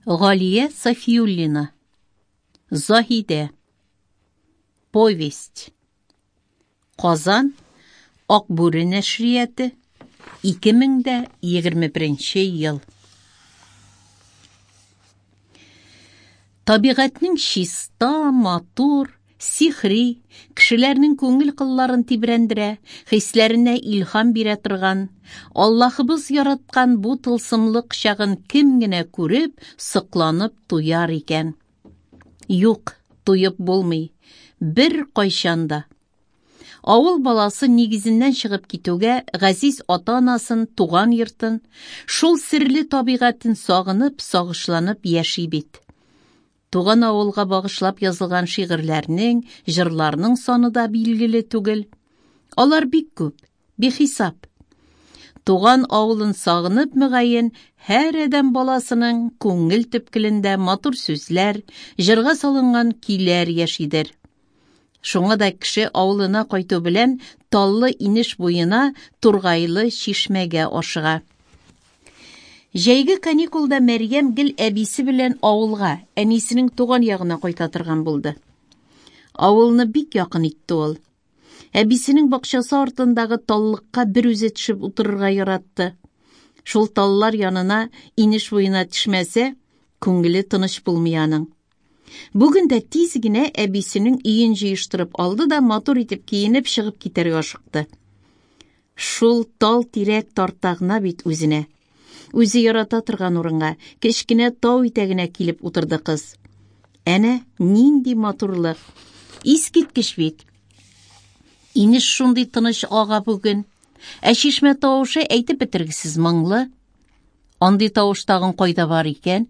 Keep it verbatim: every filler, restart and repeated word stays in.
Галия Сафиуллина. Заһидә. Повесть. Казан, Акбүре нәшрияты, ике мең дә егерме беренче ел. Табигатьнең чиста, матур, сихри, кешеләрнең күңел кылларын тибрәндерә, хисләренә илһам бирә торган, Аллаһыбыз яраткан бу тылсымлы кочагын кем генә күреп, сокланып туяр икән? Юк, туеп булмый, бер кайчан да. Авыл баласы нигезеннән чыгып китүгә газиз ата-анасын, туган йортын, шул серле табигатен сагынып, сагышланып яши бит. Туган авылга багышлап язылган шигырьләрнең, җырларның саны да билгеле түгел. Алар бик күп, бихисап. Туган авылын сагынып, мөгаен, һәр адәм баласының күңел төпкелендә матур сүзләр, җырга салынган көйләр яшидер. Шуңа да кеше авылына кайту белән таллы инеш буена, тургайлы чишмәгә ашыга. Җәйге каникулда Мәрьям гел әбисе белән авылга, әнисенең туган ягына кайта торган булды. Авылны бик якын итте ул. Әбисенең бакчасы артындагы таллыкка бер үзе төшеп утырырга яратты. Шул таллар янына, инеш буена төшмәсә, күңеле тыныч булмый аның. Бүген дә тиз генә әбисенең өен җыештырып алды да матур итеп киенеп чыгып китәргә ашыкты. Шул тал тирәк тарта гына бит үзенә. Үзе ярата торган урынга, кечкенә тау итәгенә килеп утырды кыз. Әнә нинди матурлык! Искиткеч бит! Инеш шундый тыныч ага бүген. Ә чишмә тавышы әйтеп бетергесез моңлы. Андый тавыш тагын кайда бар икән?